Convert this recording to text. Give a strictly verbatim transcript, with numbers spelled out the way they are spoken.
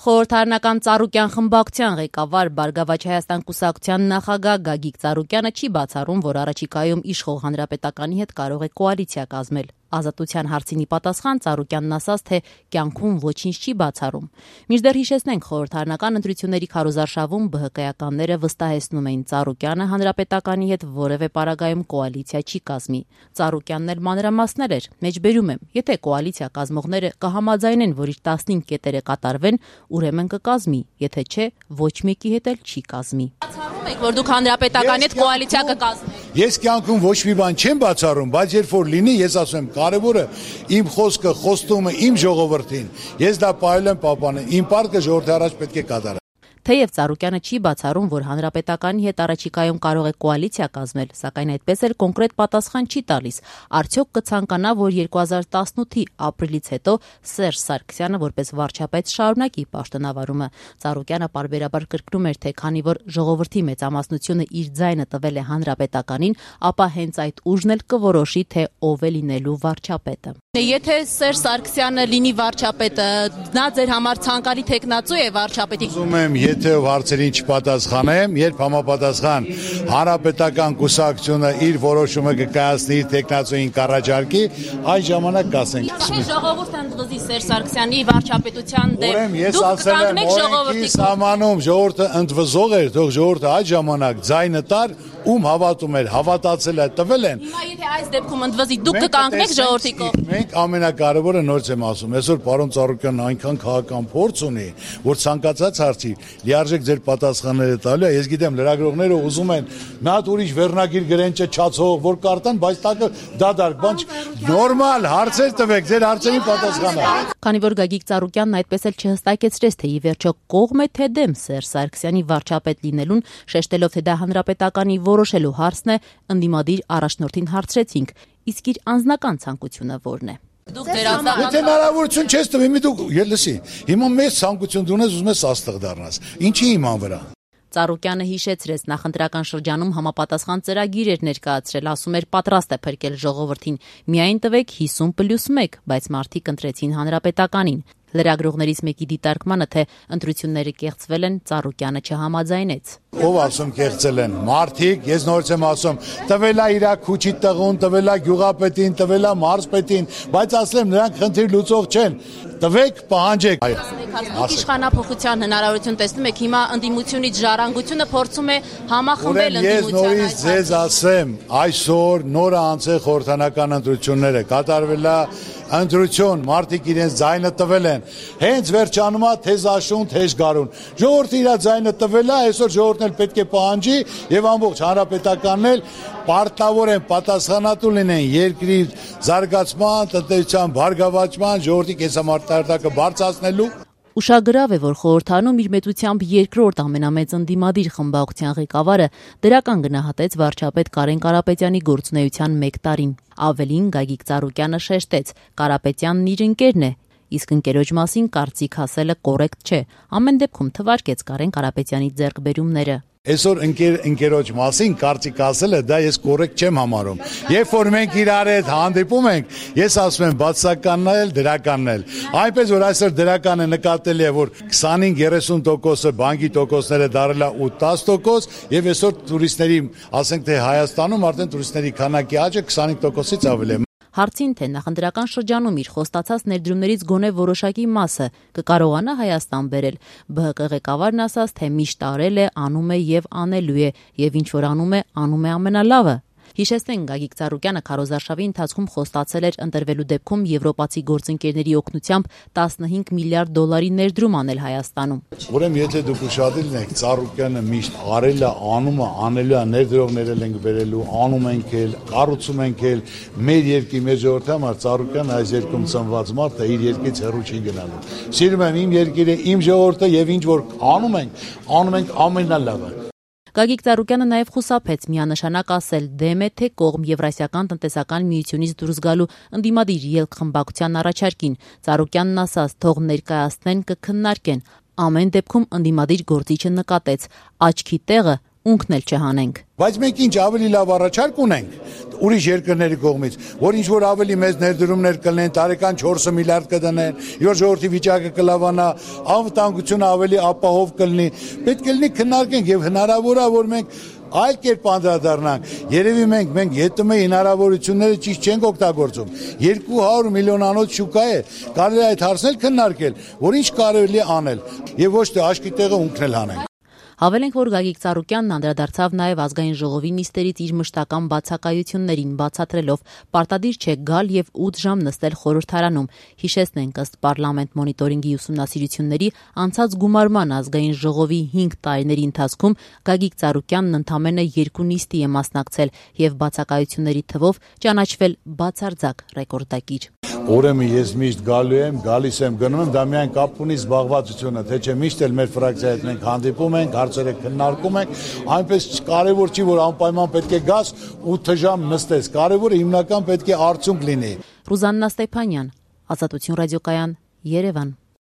Խորհրդարանական Ծառուկյան խմբակցության ղեկավար Բարգավաճ Հայաստան կուսակցության նախագահ Գագիկ Ծառուկյանը չի բացառում, որ առաջիկայում իշխող Հանրապետականի հետ կարող է կոալիցիա կազմել։ Ազատության հարցինի պատասխան Ծառուկյանն ասաց, թե կյանքում ոչինչ չի բացառում։ Մինչդեռ հիշեցնենք, խորհրդարանական ընտրությունների քարոզարշավում ԲՀԿ-ականները վստահեցնում էին Ծառուկյանը Հանրապետականի հետ որևէ պարագայում կոալիցիա չի կազմի։ Ծառուկյանն էլ մանրամասներ էր, մեջբերում եմ, եթե կոալիցիա կազմողները կհամաձայնեն, որ իր տասնհինգ կետերը կատարվեն, ուրեմն կկազմի, եթե չէ, ոչ մեկի հետ էլ չի կազմի։ Բացառում եք, որ դուք Հանրապետականի հետ կոալիցիա կկազմեք։ Ես կյանքում ոչ մի բան չեմ բացառում, բայց երբ որ լինի, ես ասում եմ, կարևորը իմ խոսքը, խոստումը իմ ժողովրդին, ես դա պահել եմ պահպանել, իմ պարտքը ժողովրդի առաջ պետք է կատարել։ Թեև Ծառուկյանը չի բացառում, որ Հանրապետականի հետ առաջիկայում կարող է կոալիցիա կազմել, սակայն այդպես էլ կոնկրետ պատասխան չի տալիս։ Արդյոք կցանկանա, որ երկու հազար տասնութի ապրիլից հետո Սերժ Սարգսյանը որպես վարչապետ շարունակի պաշտոնավարումը։ Ծառուկյանը պարբերաբար կրկնում էր, թե քանի որ ժողովրդի մեծամասնությունը իր ձայնը տվել է Հանրապետականին, ապա հենց այդ ուժն էլ կորոշի, թե ով է լինելու վարչապետը։ Եթե Սերժ Սարգսյանը լինի վարչապետը, նա ձեր համար ցանկալի թեկնածու է վարչապետի։ Ուզում եմ, եթե հարցերին չպատասխանեմ, երբ համապատասխան Հանրապետական կուսակցությունը իր որոշումը կկայացնի իր թեկնածուին կառաջարկի, այդ ժամանակ կասենք։ Ժողովուրդը ընդվզի Սերժ Սարգսյանի վարչապետության դեմ։ Ուրեմն ես ասել եմ, օրենքի սահմանում ժողովուրդը ընդվզող էր, թող ժողովուրդը այդ ժամանակ ձայնը տար, ում հավատում էր, հավատացել է, տվել են։ Հիմա եթե այս դեպքում ընդվզի, դուք կկանգնեք ժողովրդի կողմ։ Մենք ամենակարևորը նորից եմ ասում, այսօր պարոն Ծառուկյանն այնքան քաղաքական փորձ ունի, որ ցանկացած հարցի լիարժեք ձեր պատասխանները տալու է։ Ես գիտեմ, լրագրողները ուզում են մի հատ ուրիշ վերնագիր գրեն չչացող, որ կարտան, բայց տակը դադարք, բան նորմալ հարցեր տվեք, ձեր հարցերին պատասխանա։ Քանի որ Գագիկ Ծառուկյանն այդպես էլ չհստակեցրեց, թե ի վերջո կողմ է թե դեմ Սերժ Սարգսյանի վարչապետ լինելուն, շեշտելով, թե դա Հանրապետականի որոշելու հարցն է, ընդդիմադիր առաջնորդին հարցրեցինք, իսկ իր անձնական ցանկությունը ո՞րն է։ Դուք ձեր անձնական Եթե հնարավորություն չես տվի, մի դուք ելսի։ Հիմա մեծ ցանկություն դու ունես, ուզում ես աստղ դառնաս։ Ինչի իման վրա։ Ծառուկյանը հիշեցրեց, նախընտրական շրջանում համապատասխան ծրագիր էր ներկայացրել, ասում էր պատրաստ է փրկել ժողովրդին։ Միայն տվեք հիսուն պլյուս մեկ, բայց մարդիկ ընտրեցին Հանրապետականին։ Լրագրողներից մեկի դիտարկմանը, թե ընտրությունները կեղծվել են, Ծառուկյանը չհամաձայնեց։ Ով ասում կեղծել են։ Մարդիկ, ես նորից եմ ասում, տվելա իր քուչի տղուն, տվելա գյուղապետին, տվելա մարզպետին, բայց ասեմ, նրանք խնդիր լուծող չեն։ Տվեք, պահանջեք։ Դուք իշխանափոխության հնարավորություն տեսնում եք, հիմա ընդդիմությունից ժառանգությունը փորձում է համախմբել ընդդիմության։ Ես նորից ձեզ ասեմ, այսօր նորը անցել խորհրդարանական ընտրությունները, կատարվել է ընտրություն, մարդիկ իրենց ձայնը տվել են, հենց վերջանում է թեզ աշուն, թեզ գարուն։ Ժողովուրդը իր ձայնը տվել է, այսօր ժողովուրդն էլ պետք է պահանջի եւ ամբողջ հանրապետականն էլ պարտավոր են պատասխանատու լինեն երկրի զարգացման, տնտեսության բարգավաճման, ժողովրդի կենսամարտահրատակը բարձրացնելու։ Ուշագրավ է, որ խորհրդարանում իր մեծությամբ երկրորդ ամենամեծ ընդդիմադիր խմբակցության ղեկավարը դրական գնահատեց վարչապետ Կարեն Կարապետյանի գործունեության մեկ տարին։ Ավելին Գագիկ Ծառուկյանը շեշտեց, Կարապետյանն իր ընկերն է, իսկ ընկերոջ մասին կարծիք ասելը կոռեկտ չէ։ Ամեն դեպքում թվարկեց Կարեն Կարապետյանի ձեռքբերումները։ Այսօր ընկեր ընկերոջ մասին կարծիք ասելը դա ես կոռեկտ չեմ համարում։ Երբ որ մենք իրար հետ հանդիպում ենք, ես ասում եմ բացականն էլ դրականն էլ։ Այնպես որ այսօր դրականը նկատելի է, որ քսանհինգ երեսուն տոկոսը բանկի տոկոսները դարել է ու տասը տոկոս, եւ այսօր տուրիստների, ասենք թե Հայաստանում արդեն տուրիստների քանակի աճը քսանհինգ տոկոսից ավել է։ Հարցին, թե նախընտրական շրջանում իր խոստացած ներդրումներից գոնե որոշակի մասը կկարողանա Հայաստան բերել, ԲՀԿ ղեկավարն ասաց, թե միշտ արել է, անում է եւ անելու է, եւ ինչ որ անում է, անում է ամենալավը։ Հիշեցնենք, Գագիկ Ծառուկյանը քարոզարշավի ընթացքում խոստացել էր ընտրվելու դեպքում եվրոպացի գործընկերների օգնությամբ տասնհինգ միլիարդ դոլարի ներդրում անել Հայաստանում։ Ուրեմն եթե դուք ուշադիր եք, Ծառուկյանը միշտ արել է, անում է, անելու է, ներդրողներել ենք բերելու, անում ենք էլ, կառուցում ենք էլ, մեր երկրի մեր ժողովրդի համար Ծառուկյանը այս երկրում ծնված մարդ է, իր երկրից հեռու չի գնալու։ Սիրում եմ իմ երկիրը, իմ ժողովուրդը եւ ինչ որ անում ենք, անում ենք ամենալավը։ Գագիկ Ծառուկյանը նաև խուսափեց միանշանակ ասել դեմ է թե կողմ Եվրասիական տնտեսական միությունից դուրս գալու ընդդիմադիր ելք խմբակցության առաջարկին։ Ծառուկյանն ասաց, թող ներկայացնեն, կքննարկեն։ Ամեն դեպքում ընդդիմադիր գործիչը նկատեց, աչքի տեղը ունքն էլ չհանենք։ Բայց մենք ինչ ավելի լավ առաջարկ ունենք ուրիշ երկրների կողմից, որ ինչ որ ավելի մեծ ներդրումներ կլինեն, տարեկան չորս միլիարդ կդնեն, որ ժողովրդի վիճակը կլավանա, անվտանգությունը ավելի ապահով կլինի, պետք է լինի քննարկենք եւ հնարավոր է որ մենք այլ կերպ անդրադառնանք։ Երևի մենք մենք ԵՏՄ-ի հնարավորությունները ճիշտ չենք օգտագործում։ երկու հարյուր միլիոնանոց շուկա է, կարելի է այդ հարցնել քննարկել, որ ինչ կարելի է անել եւ ոչ թե աշկի տեղը ունքնել հանենք։ Հավելենք, որ Գագիկ Ծառուկյանն անդրադարձավ նաև ազգային ժողովի նիստերից իր մշտական բացակայություններին, բացատրելով պարտադիր չէ գալ եւ ութ ժամ նստել խորհրդարանում։ Հիշեցնենք, ըստ Պարլամենտ մոնիտորինգի ուսումնասիրությունների անցած գումարման ազգային ժողովի հինգ տարիների ընթացքում Գագիկ Ծառուկյանն ընդամենը երկու նիստի է մասնակցել եւ բացակայությունների թվով ճանաչվել բացարձակ ռեկորդակիր։ Ուրեմն ես միշտ գալու եմ, գալիս եմ, գնում եմ, դա միայն կապ ունի զբաղվածությունը, թե չէ միշտ էլ մեր ֆրակցիայի հետ մենք հանդիպում ենք, հարցերը քննարկում ենք, այնպես կարևոր չի, որ անպայման պետք է գաս ութ ժամ նստես, կարևորը հիմնական պետք է արդյունք լինի։ Ռուզաննա Ստեփանյան, Ազատություն ռադիոկայան, Երևան։